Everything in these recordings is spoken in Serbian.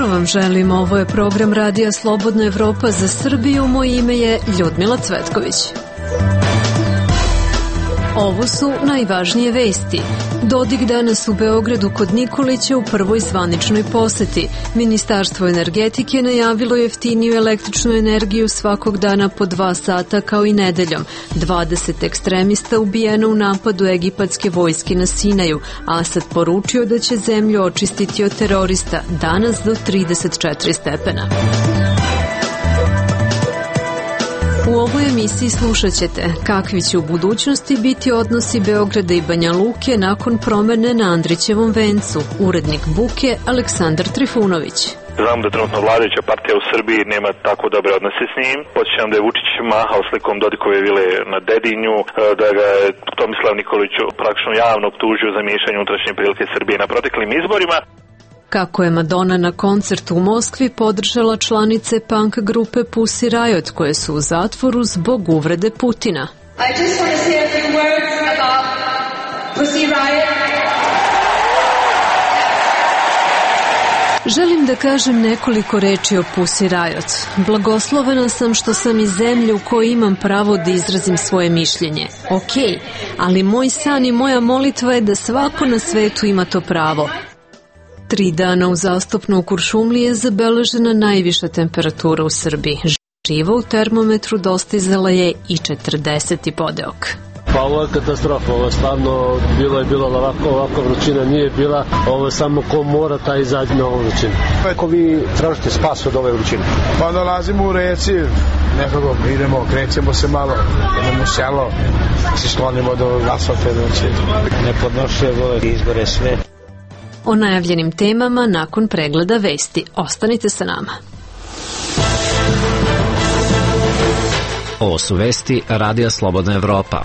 Vam želim, ovo je program Radija Slobodna Evropa za Srbiju, moje ime je Ljudmila Cvetković. Ovo su najvažnije vesti. Dodik danas u Beogradu kod Nikolića u prvoj zvaničnoj poseti. Ministarstvo energetike najavilo jeftiniju električnu energiju svakog dana po 2 sata kao i nedeljom. 20 ekstremista ubijeno u napadu egipatske vojske na Sinaju. Asad poručio da će zemlju očistiti od terorista danas do 34 stepena. U ovoj emisiji slušat ćete kakvi će u budućnosti biti odnosi Beograda i Banja Luke nakon promene na Andrićevom vencu. Urednik Buke Aleksandar Trifunović. Znam da trenutno vladajuća partija u Srbiji nema tako dobre odnose s njim. Podsjećam da je Vučić mahao slikom Dodikove vile na Dedinju, da ga je Tomislav Nikolić praktično javno optužio za miješanje unutrašnje prilike Srbije na proteklim izborima. Kako je Madonna na koncertu u Moskvi podržala članice punk grupe Pussy Riot koje su u zatvoru zbog uvrede Putina. I just want to say a few words about Pussy Riot. Želim da kažem nekoliko reči o Pussy Riot. Blagoslovena sam što sam iz zemlje u kojoj imam pravo da izrazim svoje mišljenje. Okej, ali moj san i moja molitva je da svako na svetu ima to pravo. 3 dana uzastopno u Kuršumliji je zabeležena najviša temperatura u Srbiji. Živa u termometru dostizala je i 40 podeok. Pa ovo je katastrofa, ovo je stvarno bilo ovako vrućina nije bila, ovo je samo ko mora taj izađe na ovu vrućinu. Kako vi tražite spas od ove vrućine? Pa dolazimo u reci, nekako idemo, krećemo se malo, idemo u selo, se sklonimo do asfalta, nepodnošljive ove izbore sve. O najavljenim temama nakon pregleda vesti. Ostanite sa nama. Ovo su vesti Radija Slobodna Evropa.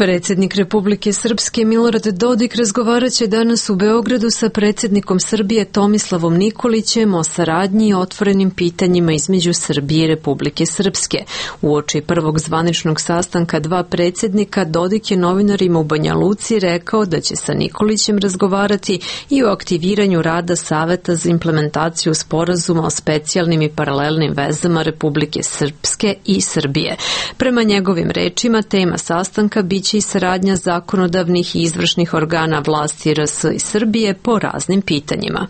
Predsjednik Republike Srpske Milorad Dodik razgovarat će danas u Beogradu sa predsjednikom Srbije Tomislavom Nikolićem o saradnji i otvorenim pitanjima između Srbije i Republike Srpske. Uoči prvog zvaničnog sastanka 2 predsjednika, Dodik je novinarima u Banja Luci rekao da će sa Nikolićem razgovarati i o aktiviranju rada Saveta za implementaciju sporazuma o specijalnim i paralelnim vezama Republike Srpske i Srbije. Prema njegovim rečima, tema sastanka biće i saradnja zakonodavnih i izvršnih organa vlasti RS i Srbije po raznim pitanjima.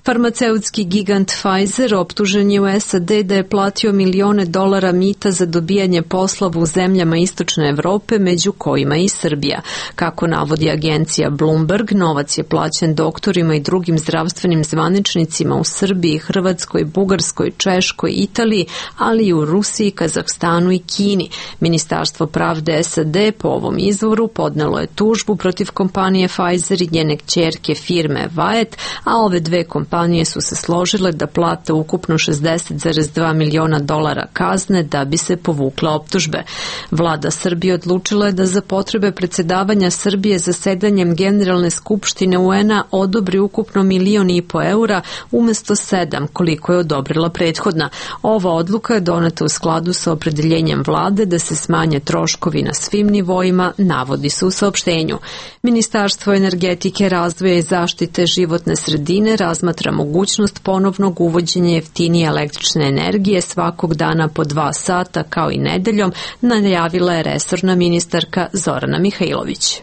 Farmaceutski gigant Pfizer optužen je u SAD da je platio milione dolara mita za dobijanje poslova u zemljama Istočne Evrope, među kojima i Srbija. Kako navodi agencija Bloomberg, novac je plaćen doktorima i drugim zdravstvenim zvaničnicima u Srbiji, Hrvatskoj, Bugarskoj, Češkoj, Italiji, ali i u Rusiji, Kazahstanu i Kini. Ministarstvo pravde SAD po ovom izvoru podnelo je tužbu protiv kompanije Pfizer i njene kćerke firme Wyeth, a ove 2 kompanije su se složile da plate ukupno 60,2 miliona dolara kazne da bi se povukla optužbe. Vlada Srbije odlučila je da za potrebe predsjedavanja Srbije zasedanjem Generalne skupštine UN-a odobri ukupno 1,5 miliona eura umesto 7 koliko je odobrila prethodna. Ova odluka je doneta u skladu sa opredeljenjem vlade da se smanje troškovi na svim nivoima, navodi se u saopštenju. Ministarstvo energetike, razvoja i zaštite životne sredine razmatra mogućnost ponovnog uvođenja jeftinije električne energije svakog dana po 2 sata kao i nedeljom, najavila je resorna ministarka Zorana Mihajlović.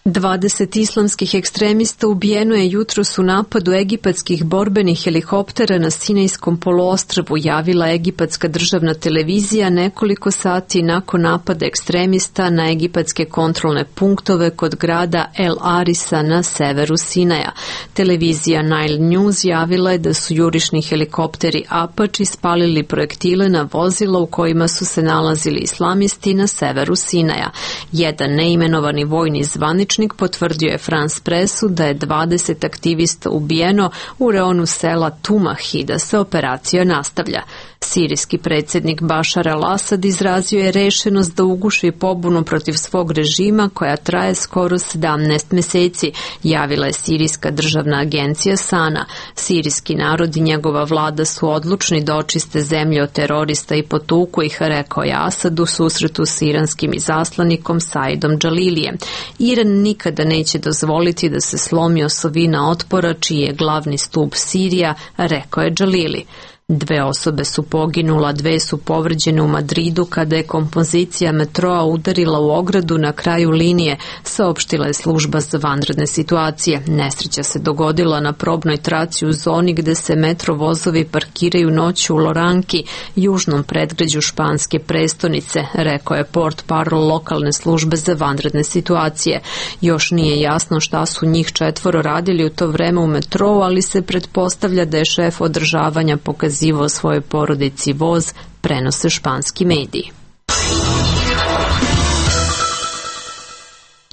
20 islamskih ekstremista ubijeno je jutros u napadu egipatskih borbenih helikoptera na Sinajskom poluostrvu, javila egipatska državna televizija nekoliko sati nakon napada ekstremista na egipatske kontrolne punktove kod grada El Arisa na severu Sinaja. Televizija Nile News javila je da su jurišni helikopteri Apache spalili projektile na vozila u kojima su se nalazili islamisti na severu Sinaja. Jedan neimenovani vojni zvaničnik zvaničnik, potvrdio je France Pressu da je 20 aktivista ubijeno u reonu sela Tumah i da se operacija nastavlja. Sirijski predsjednik Bašar al-Asad izrazio je rešenost da uguši pobunu protiv svog režima koja traje skoro 17 meseci, javila je Sirijska državna agencija SANA. Sirijski narod i njegova vlada su odlučni da očiste zemlje od terorista i potuku ih, rekao je Asad u susretu s iranskim izaslanikom Saidom Džalilijem. Iran nikada neće dozvoliti da se slomi osovina otpora čiji je glavni stup Sirija, rekao je Džalili. 2 osobe su poginula, 2 su povređene u Madridu kada je kompozicija metroa udarila u ogradu na kraju linije, saopštila je služba za vanredne situacije. Nesreća se dogodila na probnoj traci u zoni gde se metro vozovi parkiraju noću u Loranki, južnom predgrađu španske prestonice, rekao je portparol lokalne službe za vanredne situacije. Još nije jasno šta su njih 4 radili u to vreme u metrou, ali se pretpostavlja da je šef održavanja pokazivao svojoj porodici voz, prenose španski mediji.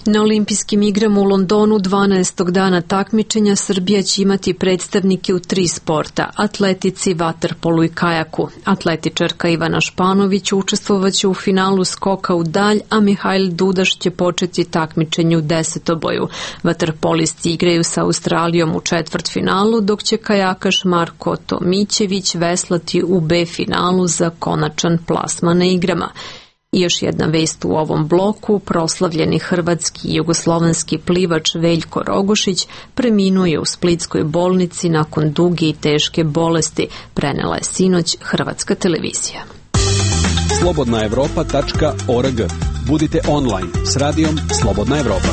Na olimpijskim igrama u Londonu 12. dana takmičenja Srbija će imati predstavnike u 3 sporta, atletici, vaterpolu i kajaku. Atletičarka Ivana Španović učestvovaće u finalu skoka u dalj, a Mihajl Dudaš će početi takmičenje u desetoboju. Vaterpolisti igraju sa Australijom u četvrtfinalu, dok će kajakaš Marko Tomićević veslati u B finalu za konačan plasman na igrama. I još jedna vest u ovom bloku, proslavljeni hrvatski i jugoslovenski plivač Veljko Rogošić preminuo je u splitskoj bolnici nakon duge i teške bolesti, prenela je sinoć Hrvatska televizija. slobodnaevropa.org. Budite online s radijom Slobodna Evropa.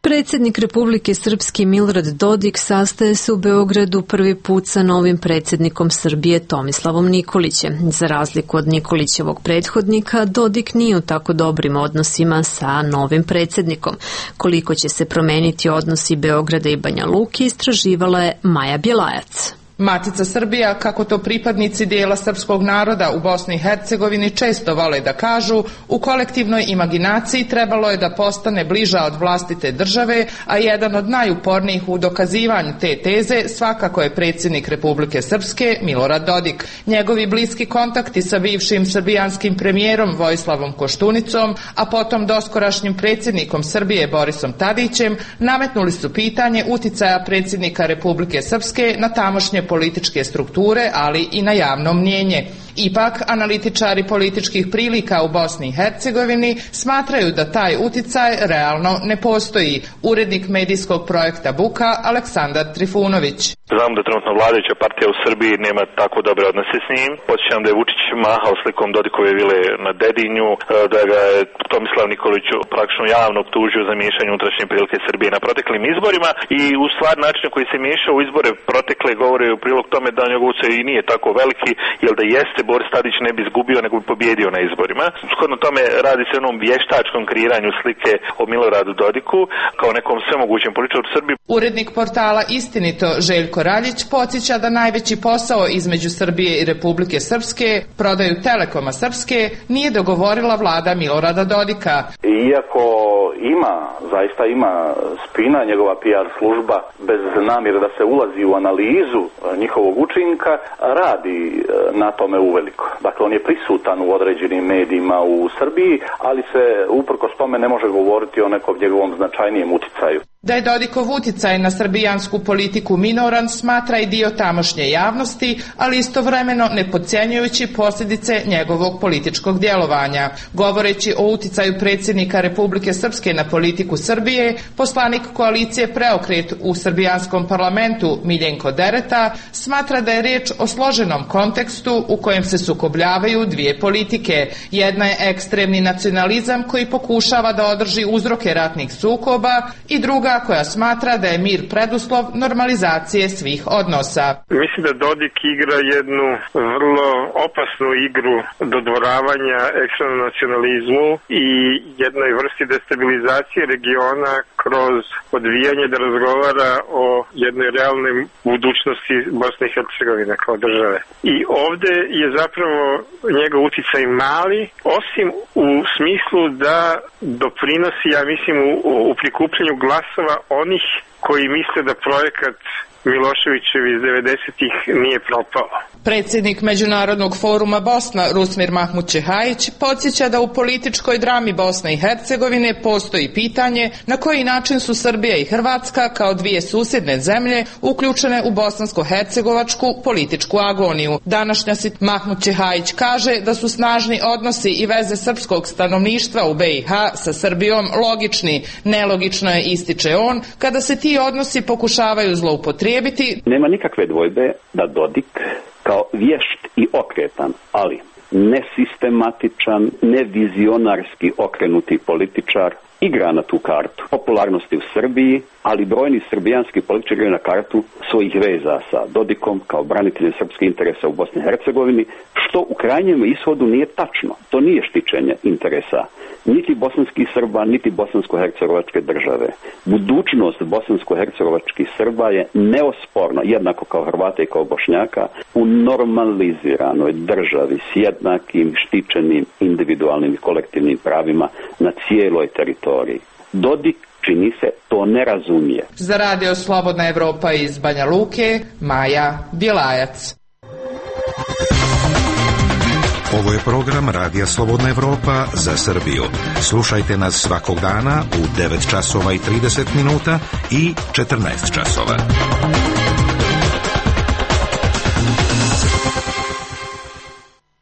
Predsjednik Republike Srpske Milorad Dodik sastaje se u Beogradu prvi put sa novim predsjednikom Srbije Tomislavom Nikolićem. Za razliku od Nikolićevog prethodnika, Dodik nije u tako dobrim odnosima sa novim predsjednikom. Koliko će se promeniti odnosi Beograda i Banja Luke, istraživala je Maja Bjelajac. Matica Srbija, kako to pripadnici dijela srpskog naroda u Bosni i Hercegovini često vole da kažu, u kolektivnoj imaginaciji trebalo je da postane bliža od vlastite države, a jedan od najupornijih u dokazivanju te teze svakako je predsjednik Republike Srpske Milorad Dodik. Njegovi bliski kontakti sa bivšim srbijanskim premijerom Vojislavom Koštunicom, a potom doskorašnjim predsjednikom Srbije Borisom Tadićem, nametnuli su pitanje uticaja predsjednika Republike Srpske na tamošnje političke strukture, ali i na javno mnjenje. Ipak, analitičari političkih prilika u Bosni i Hercegovini smatraju da taj uticaj realno ne postoji. Urednik medijskog projekta Buka Aleksandar Trifunović. Znam da trenutno vladajuća partija u Srbiji nema tako dobre odnose s njim. Podsjećam da je Vučić mahao slikom Dodikove vile na Dedinju, da ga je Tomislav Nikolić praktično javno optužio za miješanje unutrašnje prilike Srbije na proteklim izborima i u stvari način koji se miješao u izbore protekle govore u prilog tome da njegov utjecaj i nije tako veliki, jer da jeste Boris Tadić ne bi izgubio nego bi pobjedio na izborima. Shodno tome radi se o onom vještačkom kreiranju slike o Miloradu Dodiku kao nekom svemogućem političaru u Srbiji. Urednik portala Istinito Željko Raljić podsjeća da najveći posao između Srbije i Republike Srpske, prodaju Telekoma Srpske, nije dogovorila vlada Milorada Dodika. Iako zaista ima spina njegova PR služba, bez namjere da se ulazi u analizu njihovog učinka, radi na tome uveliko. Dakle, on je prisutan u određenim medijima u Srbiji, ali se uprkos tome ne može govoriti o nekom njegovom značajnijem uticaju. Da je Dodikov uticaj na srbijansku politiku minoran, smatra i dio tamošnje javnosti, ali istovremeno ne podcjenjujući posljedice njegovog političkog djelovanja. Govoreći o uticaju predsjednika Republike Srpske na politiku Srbije, poslanik koalicije Preokret u srbijanskom parlamentu Miljenko Dereta smatra da je riječ o složenom kontekstu u kojem se sukobljavaju dvije politike. Jedna je ekstremni nacionalizam koji pokušava da održi uzroke ratnih sukoba i druga stranka koja smatra da je mir preduslov normalizacije svih odnosa. Mislim da Dodik igra jednu vrlo opasnu igru dodvoravanja ekstremnom nacionalizmu i jednoj vrsti destabilizacije regiona kroz odvijanje da razgovara o jednoj realnoj budućnosti Bosne i Hercegovine kao države. I ovde je zapravo njegov uticaj mali, osim u smislu da doprinosi, ja mislim, u prikupljanju glasova onih koji misle da projekat Miloševićevi iz 90-ih nije propao. Predsjednik Međunarodnog foruma Bosna Rusmir Mahmut-Čehajić podsjeća da u političkoj drami Bosne i Hercegovine postoji pitanje na koji način su Srbija i Hrvatska kao dvije susjedne zemlje uključene u bosansko-hercegovačku političku agoniju. Današnja Mahmut-Čehajić kaže da su snažni odnosi i veze srpskog stanovništva u BiH sa Srbijom logični. Nelogično je, ističe on, kada se ti odnosi pokušavaju zloupotrijebiti. Nema nikakve dvojbe da Dodik kao vješt i okretan, ali nesistematičan, nevizionarski okrenuti političar igra na tu kartu popularnosti u Srbiji, ali brojni srbijanski političari igraju na kartu svojih veza sa Dodikom kao braniteljem srpskih interesa u Bosni i Hercegovini, što u krajnjem ishodu nije tačno. To nije štićenje interesa niti bosanskih Srba, niti bosansko-hercegovačke države. Budućnost bosansko-hercegovačkih Srba je neosporna, jednako kao Hrvata i kao Bošnjaka, u normaliziranoj državi s jednakim štićenim individualnim i kolektivnim pravima na cijeloj teritoriji. Dodik, čini se, to ne razumije. Za Radio Slobodna Evropa iz Banja Luke, Maja Bjelajac. Ovo je program Radija Slobodna Evropa za Srbiju. Slušajte nas svakog dana u 9 časova i 30 minuta i 14 časova.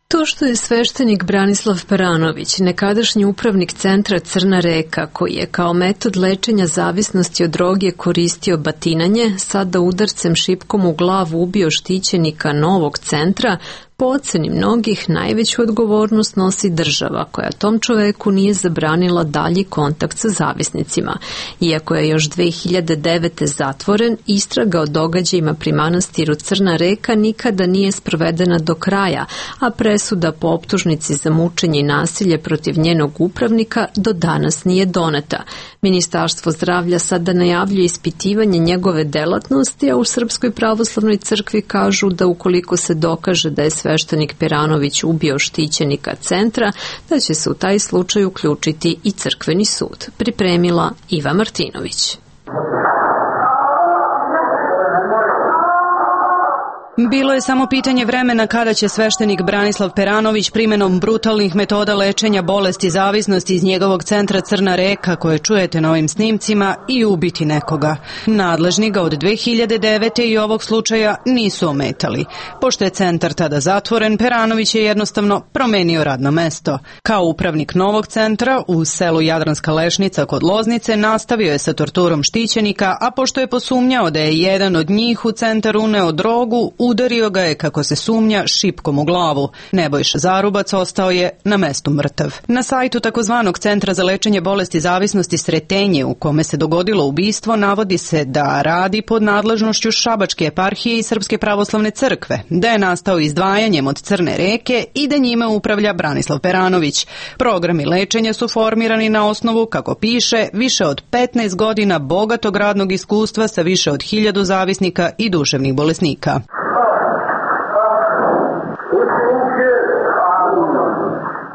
To što je sveštenik Branislav Peranović, nekadašnji upravnik centra Crna Reka, koji je kao metod lečenja zavisnosti od droge koristio batinanje, sada udarcem šipkom u glavu ubio štićenika novog centra, po oceni mnogih najveću odgovornost nosi država, koja tom čoveku nije zabranila dalji kontakt sa zavisnicima. Iako je još 2009. zatvoren, istraga o događajima pri manastiru Crna Reka nikada nije sprovedena do kraja, a presuda po optužnici za mučenje i nasilje protiv njenog upravnika do danas nije doneta. Ministarstvo zdravlja sada najavljuje ispitivanje njegove delatnosti, a u Srpskoj pravoslavnoj crkvi kažu da ukoliko se dokaže da je sveštenik Peranović ubio štićenika centra, da će se u taj slučaj uključiti i crkveni sud. Pripremila Iva Martinović. Bilo je samo pitanje vremena kada će sveštenik Branislav Peranović primjenom brutalnih metoda lečenja bolesti zavisnosti iz njegovog centra Crna Reka, koje čujete na ovim snimcima, i ubiti nekoga. Nadležni ga od 2009. i ovog slučaja nisu ometali. Pošto je centar tada zatvoren, Peranović je jednostavno promenio radno mesto. Kao upravnik novog centra u selu Jadranska Lešnica kod Loznice nastavio je sa torturom štićenika, a pošto je posumnjao da je jedan od njih u centar uneo drogu, udario ga je, kako se sumnja, šipkom u glavu. Nebojša Zarubac ostao je na mestu mrtav. Na sajtu takozvanog Centra za lečenje bolesti zavisnosti Sretenje, u kome se dogodilo ubistvo, navodi se da radi pod nadležnošću Šabačke eparhije i Srpske pravoslavne crkve, da je nastao izdvajanjem od Crne Reke i da njime upravlja Branislav Peranović. Programi lečenja su formirani na osnovu, kako piše, više od 15 godina bogatog radnog iskustva sa više od 1000 zavisnika i duševnih bolesnika.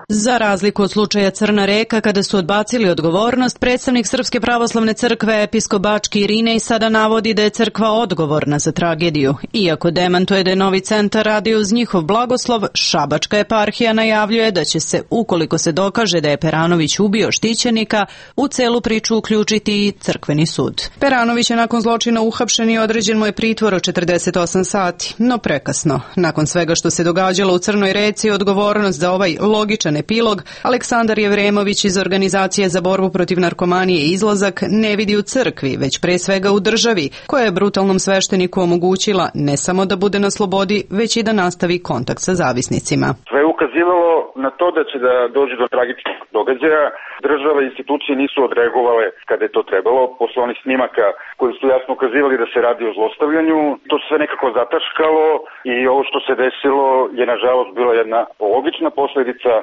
Za razliku od slučaja Crna Reka, kada su odbacili odgovornost, predstavnik Srpske pravoslavne crkve episkop Bački Irinej sada navodi da je crkva odgovorna za tragediju. Iako demantuje da je novi centar radio uz njihov blagoslov, Šabačka eparhija najavljuje da će se, ukoliko se dokaže da je Peranović ubio štićenika, u celu priču uključiti i crkveni sud. Peranović je nakon zločina uhapšen i određen mu je pritvor od 48 sati, no prekasno. Nakon svega što se događalo u Crnoj Reci, odgovornost za ovaj logičan epilog Aleksandar Jevremović iz Organizacije za borbu protiv narkomanije i Izlazak ne vidi u crkvi, već pre svega u državi, koja je brutalnom svešteniku omogućila ne samo da bude na slobodi, već i da nastavi kontakt sa zavisnicima. Sve u ukazivalo na to da će da dođe do tragičnog događaja. Država i institucije nisu odreagovale kada je to trebalo. Posle onih snimaka koji su jasno ukazivali da se radi o zlostavljanju, to se sve nekako zataškalo i ovo što se desilo je nažalost bila jedna logična posledica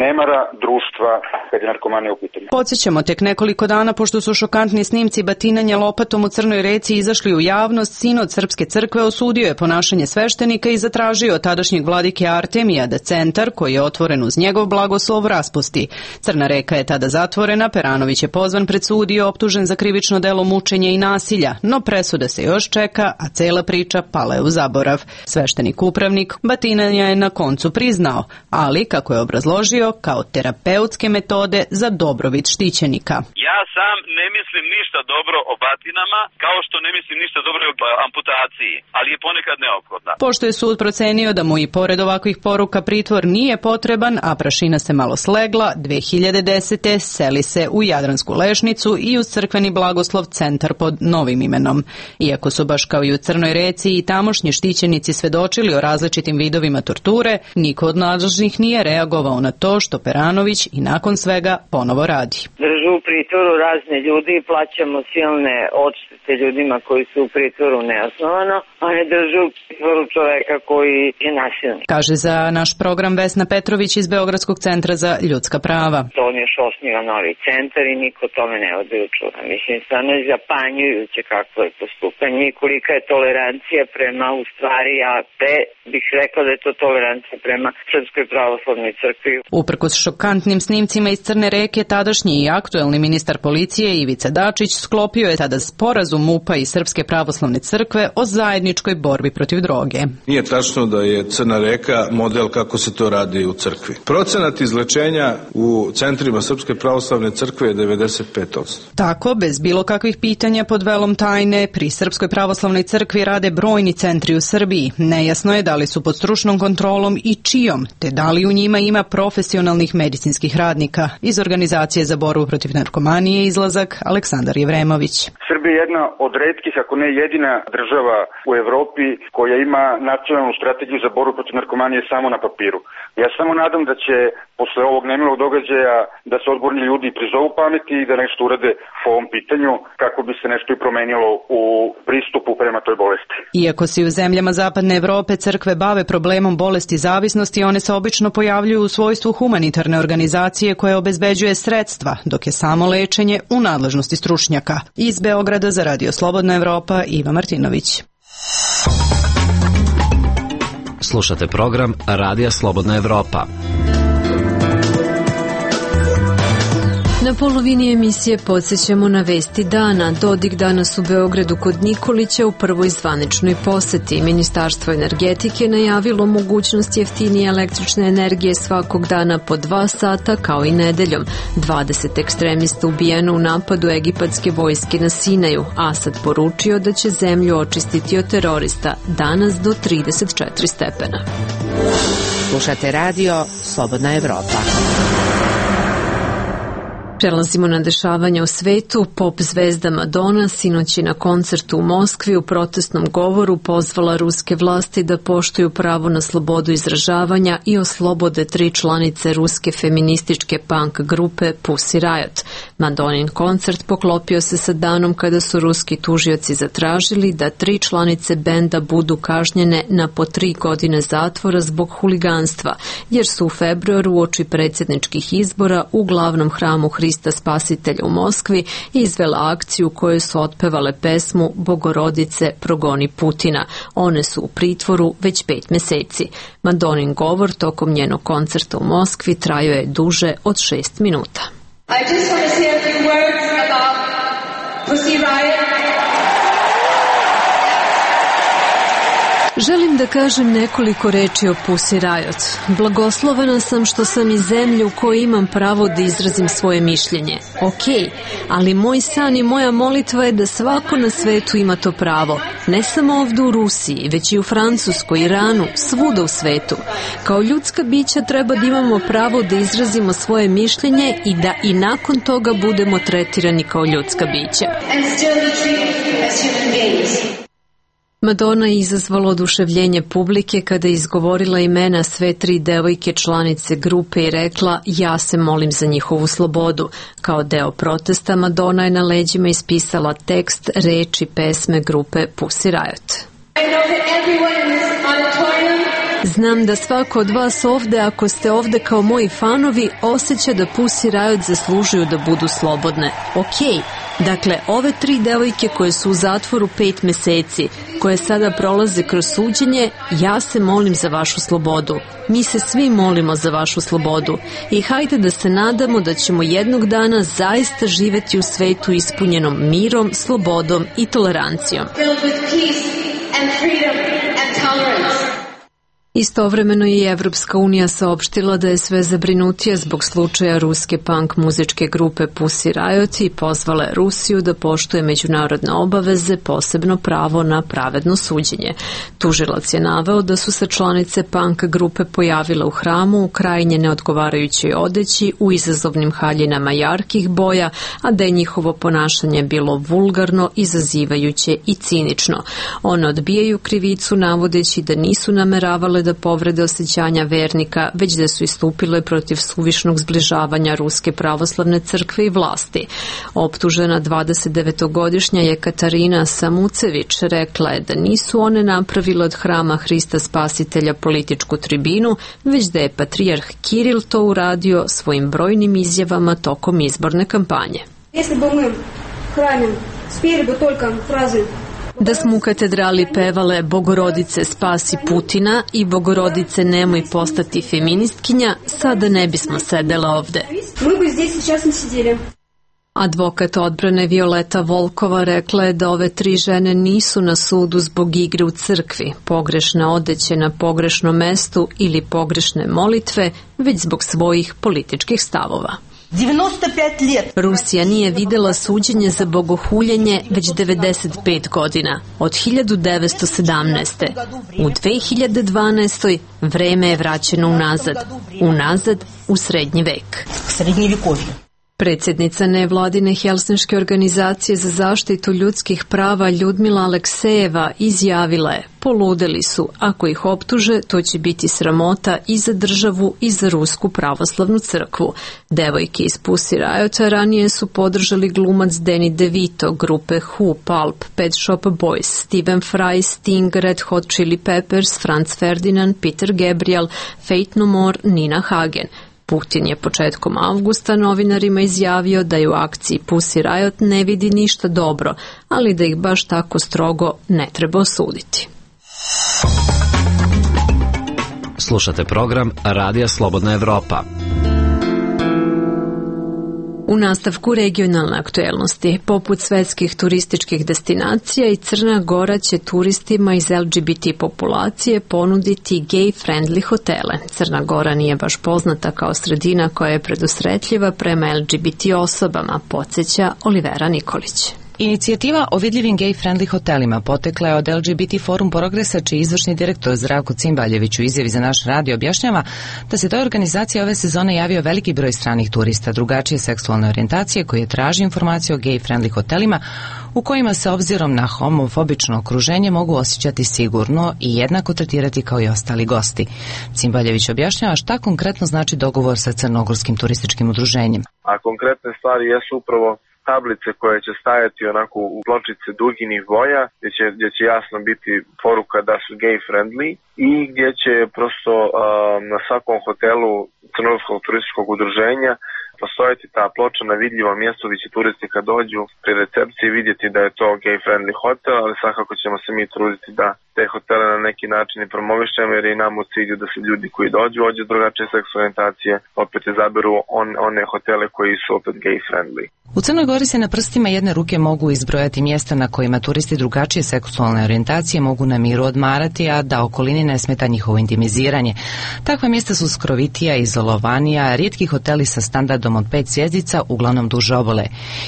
nemara društva kad je narkomanija u pitanju. Podsjećamo, tek nekoliko dana pošto su šokantni snimci batinanja lopatom u Crnoj Reci izašli u javnost, sinod Srpske crkve osudio je ponašanje sveštenika i zatražio od tadašnjeg vladike Artemija da centar, koji je otvoren uz njegov blagoslov, raspusti. Crna Reka je tada zatvorena, Peranović je pozvan pred sud i optužen za krivično delo mučenja i nasilja, no presuda se još čeka, a cela priča pala je u zaborav. Sveštenik upravnik batinanja je na koncu priznao, ali, kako je obrazložio, kao terapeutske metode za dobrobit štićenika. Ja sam ne mislim ništa dobro o batinama, kao što ne mislim ništa dobro o amputaciji, ali je ponekad neophodna. Pošto je sud procenio da mu i pored ovakvih poruka pritvor nije potreban, a prašina se malo slegla, 2010. seli se u Jadransku Lešnicu i uz crkveni blagoslov centar pod novim imenom. Iako su baš kao i u Crnoj Reci i tamošnji štićenici svedočili o različitim vidovima torture, niko od nadležnih nije reagovao na to što Peranović i nakon svega ponovo radi. Držu u pritvoru razne ljudi i plaćamo silne odštete ljudima koji su u pritvoru neosnovano, a ne držu u pritvoru čoveka koji je nasilnik. Kaže za naš program Vesna Petrović iz Beogradskog centra za ljudska prava. To on još osniva novi centar i niko tome ne vodi računa. Mislim, stvarno je zapanjujuće kakvo je postupanje i kolika je tolerancija prema, u stvari, ja bih rekla da je to tolerancija prema Srpskoj pravoslavnoj crkvi. Uprkos šokantnim snimcima iz Crne Reke, tadašnji i aktuelni ministar policije Ivica Dačić sklopio je tada sporazum MUP-a i Srpske pravoslavne crkve o zajedničkoj borbi protiv droge. Nije tačno da je Crna Reka model kako se to radi u crkvi. Procenat izlečenja u centrima Srpske pravoslavne crkve je 95%. Tako, bez bilo kakvih pitanja pod velom tajne, pri Srpskoj pravoslavnoj crkvi rade brojni centri u Srbiji. Nejasno je da li su pod stručnom kontrolom i čijom, te da li u njima ima profesionalnih medicinskih radnika. Iz Organizacije za borbu protiv narkomanije izlazak Aleksandar Jevremović. Srbija je jedna od retkih, ako ne jedina država u Evropi koja ima nacionalnu strategiju za borbu protiv narkomanije samo na papiru. Ja samo nadam da će posle ovog nemilog događaja da se odgovorni ljudi prizovu pameti i da nešto urade po ovom pitanju kako bi se nešto i promenilo u pristupu prema toj bolesti. Iako se u zemljama Zapadne Evrope crkve bave problemom bolesti zavisnosti, one se obično pojavljuju u svojstvu humanitarne organizacije koje obezbeđuje sredstva, dok je samo lečenje u nadležnosti stručnjaka. Iz Beograda za Radio Slobodna Evropa, Iva Martinović. Slušate program Radija Slobodna Evropa. Na polovini emisije podsjećamo na vesti dana. Dodik danas u Beogradu kod Nikolića u prvoj zvaničnoj poseti. Ministarstvo energetike najavilo mogućnost jeftinije električne energije svakog dana po 2 sata kao i nedeljom. 20 ekstremista ubijeno u napadu egipatske vojske na Sinaju. Asad poručio da će zemlju očistiti od terorista danas do 34 stepena. Slušate radio Slobodna Evropa. Prelazimo na dešavanja u svetu. Pop zvezda Madonna sinoć je na koncertu u Moskvi u protestnom govoru pozvala ruske vlasti da poštuju pravo na slobodu izražavanja i oslobode 3 članice ruske feminističke punk grupe Pussy Riot. Madonnin koncert poklopio se sa danom kada su ruski tužioci zatražili da 3 članice benda budu kažnjene na po 3 godine zatvora zbog huliganstva, jer su u februaru uoči predsjedničkih izbora u glavnom hramu Hrista Spasitelja u Moskvi izvela akciju u kojoj su otpevale pesmu Bogorodice progoni Putina. One su u pritvoru već 5 meseci. Madonnin govor tokom njenog koncerta u Moskvi trajao je duže od 6 minuta. I just want to say a few words about Pussy Riot. Želim da kažem nekoliko reči o Pussy Riot. Blagoslovena sam što sam iz zemlje u kojoj imam pravo da izrazim svoje mišljenje. Ok, ali moj san i moja molitva je da svako na svetu ima to pravo. Ne samo ovdje u Rusiji, već i u Francuskoj, Iranu, svuda u svetu. Kao ljudska bića treba da imamo pravo da izrazimo svoje mišljenje i da i nakon toga budemo tretirani kao ljudska bića. And still be treated as human beings. Madonna je izazvala oduševljenje publike kada je izgovorila imena sve 3 devojke članice grupe i rekla ja se molim za njihovu slobodu. Kao deo protesta Madonna je na leđima ispisala tekst, reči pesme grupe Pussy Riot. Znam da svako od vas ovde, ako ste ovde kao moji fanovi, osjeća da Pussy Riot zaslužuju da budu slobodne. Okej. Dakle, ove 3 devojke koje su u zatvoru 5 meseci, koje sada prolaze kroz suđenje, ja se molim za vašu slobodu. Mi se svi molimo za vašu slobodu. I hajde da se nadamo da ćemo jednog dana zaista živeti u svetu ispunjenom mirom, slobodom i tolerancijom. Istovremeno je i Evropska unija saopštila da je sve zabrinutija zbog slučaja ruske punk muzičke grupe Pussy Riot i pozvala Rusiju da poštuje međunarodne obaveze, posebno pravo na pravedno suđenje. Tužilac je naveo da su se članice punk grupe pojavile u hramu u krajnje neodgovarajućoj odeći, u izazovnim haljinama jarkih boja, a da je njihovo ponašanje bilo vulgarno, izazivajuće i cinično. One odbijaju krivicu navodeći da nisu nameravale da povrede osjećanja vernika, već da su istupile protiv suvišnog zbližavanja Ruske pravoslavne crkve i vlasti. Optužena 29-godišnja Jekatarina Samucević rekla je da nisu one napravile od hrama Hrista Spasitelja političku tribinu, već da je patrijarh Kiril to uradio svojim brojnim izjavama tokom izborne kampanje. Da smo u katedrali pevale Bogorodice spasi Putina i Bogorodice nemoj postati feministkinja, sada ne bismo sedele ovde. Advokat odbrane Violeta Volkova rekla je da ove 3 žene nisu na sudu zbog igre u crkvi, pogrešne odeće na pogrešnom mestu ili pogrešne molitve, već zbog svojih političkih stavova. Rusija nije videla suđenje za bogohuljenje već 95 godina, od 1917. U 2012. vreme je vraćeno unazad u srednji vek. Predsjednica nevladine Helsinške organizacije za zaštitu ljudskih prava Ljudmila Aleksejeva izjavila je: poludeli su, ako ih optuže, to će biti sramota i za državu i za Rusku pravoslavnu crkvu. Devojke iz Pussy Riota ranije su podržali glumac Danny DeVito, grupe Who, Pulp, Pet Shop Boys, Stephen Fry, Sting, Red Hot Chili Peppers, Franz Ferdinand, Peter Gabriel, Faith No More, Nina Hagen. Putin je početkom avgusta novinarima izjavio da je u akciji Pussy Riot ne vidi ništa dobro, ali da ih baš tako strogo ne treba osuditi. Slušate program Radija Slobodna Evropa. U nastavku regionalne aktuelnosti, poput svetskih turističkih destinacija, i Crna Gora će turistima iz LGBT populacije ponuditi gay-friendly hotele. Crna Gora nije baš poznata kao sredina koja je predusretljiva prema LGBT osobama, podsjeća Olivera Nikolić. Inicijativa o vidljivim gay-friendly hotelima potekla je od LGBT Forum Progresa, čiji izvršni direktor Zdravko Cimbaljević u izjavi za naš radio objašnjava da se toj organizaciji ove sezone javio veliki broj stranih turista drugačije seksualne orijentacije koji traži informacije o gay-friendly hotelima u kojima se obzirom na homofobično okruženje mogu osjećati sigurno i jednako tretirati kao i ostali gosti. Cimbaljević objašnjava šta konkretno znači dogovor sa Crnogorskim turističkim udruženjem. A konkretne stvari jesu upravo tablice koje će stajati onako u pločice duginih boja, gdje će jasno biti poruka da su gay friendly i gdje će prosto na svakom hotelu Crnogorskog turističkog udruženja postojati ta ploča na vidljivom mjestu gdje će turisti kad dođu pri recepciji vidjeti da je to gay friendly hotel, ali svakako ćemo se mi truditi da te hotele na neki način i promovišemo, jer i nam u cilju da se ljudi koji dođu od drugačije seksualne orijentacije opet izaberu one hotele koji su opet gay friendly. U Crnoj Gori se na prstima jedne ruke mogu izbrojati mjesta na kojima turisti drugačije seksualne orijentacije mogu na miru odmarati, a da okolini ne smeta njihovo intimiziranje. Takva mjesta su skrovitija, izolovanija, rijetki hoteli sa standardom od 5 zvjezdica, uglavnom duže obale.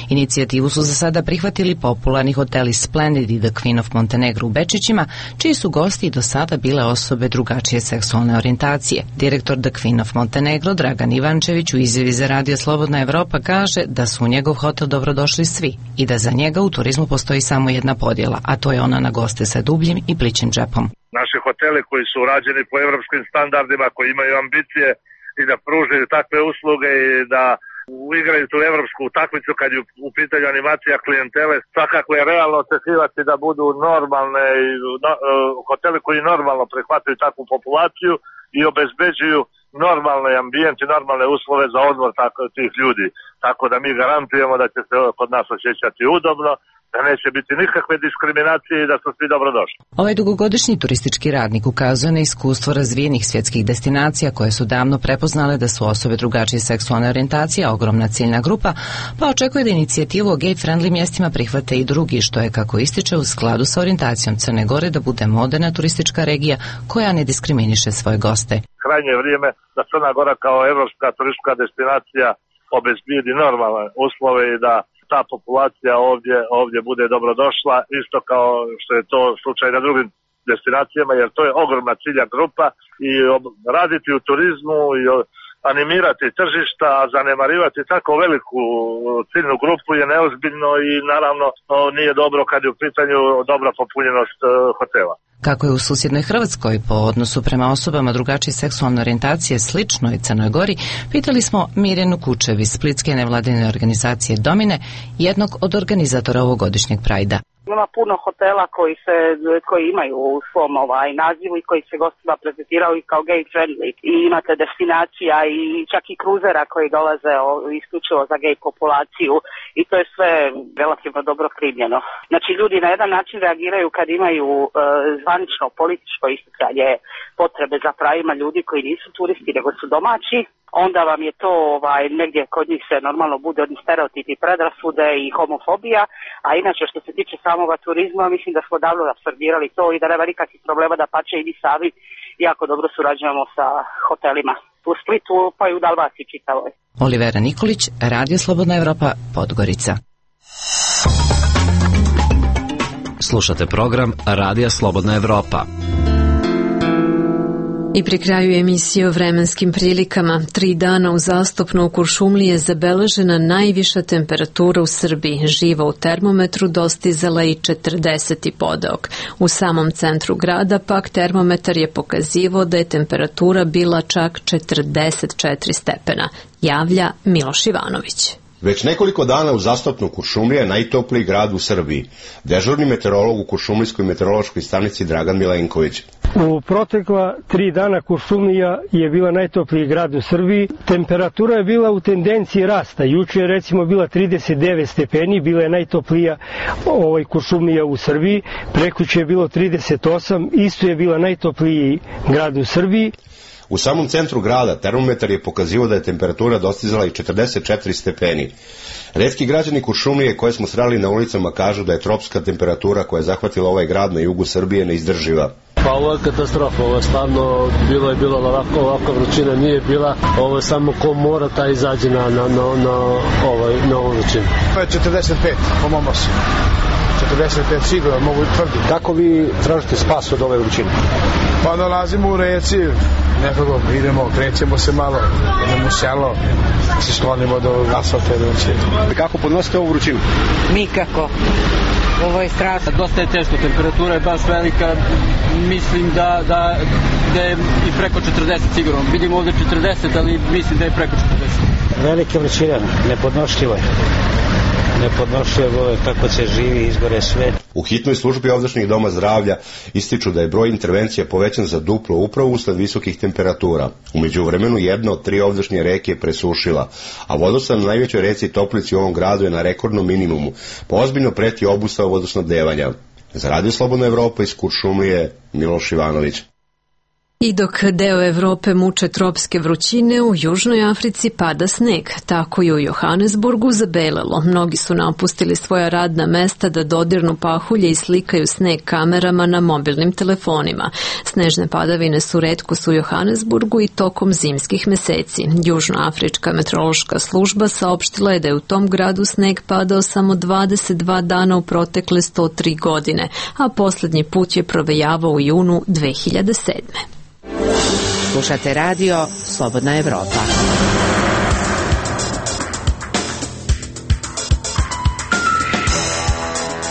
Inicijativu su za sada prihvatili popularni hoteli Splendid i The Queen of Montenegro u Bečićima, čiji su gosti i do sada bile osobe drugačije seksualne orijentacije. Direktor The Queen of Montenegro Dragan Ivančević u izjavi za Radio Slobodna Evropa kaže da su u njegov hotel dobrodošli svi i da za njega u turizmu postoji samo jedna podjela, a to je ona na goste sa dubljim i plićim džepom. Naši hoteli koji su urađeni po evropskim standardima, koji imaju ambicije i da pružaju takve usluge i da uigraju tu evropsku utakmicu kad je u pitanju animacija klijentele, svakako je realno očekivati da budu normalne hoteli koji normalno prihvataju takvu populaciju i obezbeđuju normalne ambijente, normalne uslove za odmor tih ljudi. Tako da mi garantujemo da će se kod nas osjećati udobno, da neće biti nikakve diskriminacije i da su svi dobrodošli. Ovaj dugogodišnji turistički radnik ukazuje na iskustvo razvijenih svjetskih destinacija koje su davno prepoznale da su osobe drugačije seksualne orijentacije ogromna ciljna grupa, pa očekuje da inicijativu o gay-friendly mjestima prihvate i drugi, što je, kako ističe, u skladu sa orijentacijom Crne Gore da bude moderna turistička regija koja ne diskriminiše svoje goste. Krajnje je vrijeme da Crna Gora kao evropska turistička destinacija obezbijedi normalne uslove i da ta populacija ovdje bude dobrodošla, isto kao što je to slučaj na drugim destinacijama, jer to je ogromna cilja grupa i raditi u turizmu i animirati tržišta, a zanemarivati tako veliku ciljnu grupu je neozbiljno i naravno nije dobro kad je u pitanju dobra popunjenost hotela. Kako je u susjednoj Hrvatskoj po odnosu prema osobama drugačije seksualne orijentacije sličnoj Crnoj Gori, pitali smo Mirjanu Kučev iz splitske nevladine organizacije Domine, jednog od organizatora ovogodišnjeg Prajda. Ima puno hotela koji imaju u svom nazivu i koji se gostima prezentiraju kao gay friendly i imate destinacija i čak i kruzera koji dolaze isključivo za gay populaciju i to je sve relativno dobro primljeno. Znači ljudi na jedan način reagiraju kad imaju zvanično političko isticanje potrebe za pravima ljudi koji nisu turisti nego su domaći. Onda vam je to negdje kod njih se normalno bude oni stereotipi, predrasude i homofobija, a inače što se tiče samoga turizma mislim da smo davno apsorbirali to i da nema nikakvih problema, da pače i mi sami jako dobro surađujemo sa hotelima u Splitu pa i u Dalmaciji čitavoj. Olivera Nikolić, Radio Slobodna Evropa, Podgorica. Slušate program Radija Slobodna Evropa. I pri kraju emisije o vremenskim prilikama, 3 dana uzastopno u Kuršumliji je zabeležena najviša temperatura u Srbiji. Živa u termometru dostizala i 40 podeok. U samom centru grada pak termometar je pokazivao da je temperatura bila čak 44 stepena. Javlja Miloš Ivanović. Već nekoliko dana uzastopno Kuršumlija je najtopliji grad u Srbiji. Dežurni meteorolog u Kuršumlijskoj meteorološkoj stanici Dragan Milenković. U protekla 3 dana Kuršumlija je bila najtopliji grad u Srbiji. Temperatura je bila u tendenciji rasta. Juče je recimo bila 39 stepeni, bila je najtoplija Kuršumlija u Srbiji. Prekjuče je bilo 38, isto je bila najtopliji grad u Srbiji. U samom centru grada termometar je pokazivao da je temperatura dostizala i 44 stepeni. Retki građani Kuršumlije koje smo sreli na ulicama kažu da je tropska temperatura koja je zahvatila ovaj grad na jugu Srbije neizdrživa. Pa ovo je katastrofa, ovo je stvarno bilo ovakva vrućina nije bila, ovo je samo ko mora taj izađe na ovu vrućinu. To je 45 po mom osnovu. 45 sigurno mogu tvrditi. Kako vi tražite spas od ove vrućine? Pa dolazimo u reci, nekako idemo, krećemo se malo, idemo u selo, se sklonimo do asfalta. Kako podnosite ovu vrućinu? Nikako. Ovo je strašno. Dosta je teško, temperatura je baš velika, mislim da je i preko 40 sigurno. Vidimo ovdje 40, ali mislim da je preko 40. Velika vrućina, nepodnošljivo je. Nepodnošljivo je kako se živi, izgore sve. U hitnoj službi ovdašnjih doma zdravlja ističu da je broj intervencija povećan za duplo upravo usled visokih temperatura. U međuvremenu jedna od 3 ovdašnje reke je presušila, a vodostav na najvećoj reci Toplici u ovom gradu je na rekordnom minimumu, pa ozbiljno preti obustava vodosnabdevanja. Za Radio Slobodna Evropa iz Kuršumlije, Miloš Ivanović. I dok deo Evrope muče tropske vrućine, u Južnoj Africi pada sneg. Tako je u Johannesburgu zabelelo. Mnogi su napustili svoja radna mesta da dodirnu pahulje i slikaju sneg kamerama na mobilnim telefonima. Snežne padavine su retkost u Johannesburgu i tokom zimskih meseci. Južnoafrička meteorološka služba saopštila je da je u tom gradu sneg padao samo 22 dana u protekle 103 godine, a poslednji put je provejavao u junu 2007. Slušate radio Slobodna Evropa.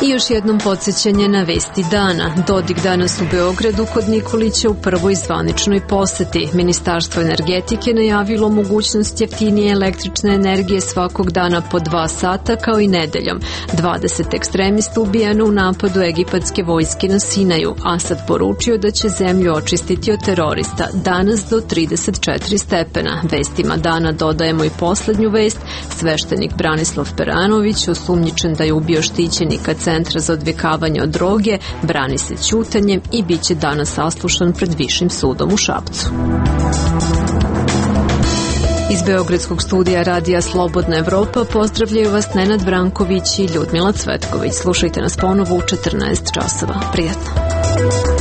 I još jednom podsjećanje na vesti dana. Dodik danas u Beogradu kod Nikolića u prvoj zvaničnoj poseti. Ministarstvo energetike najavilo mogućnost jeftinije električne energije svakog dana po 2 sata kao i nedeljom. 20 ekstremista ubijeno u napadu egipatske vojske na Sinaju. Asad poručio da će zemlju očistiti od terorista. Danas do 34 stepena. Vestima dana dodajemo i poslednju vest. Sveštenik Branislav Peranović, osumnjičen da je ubio štićenika Centra za odvikavanje od droge, brani se ćutanjem i bit će danas saslušan pred Višim sudom u Šapcu. Iz Beogradskog studija Radija Slobodna Evropa pozdravljaju vas Nenad Branković i Ljudmila Cvetković. Slušajte nas ponovo u 14 časova. Prijatno.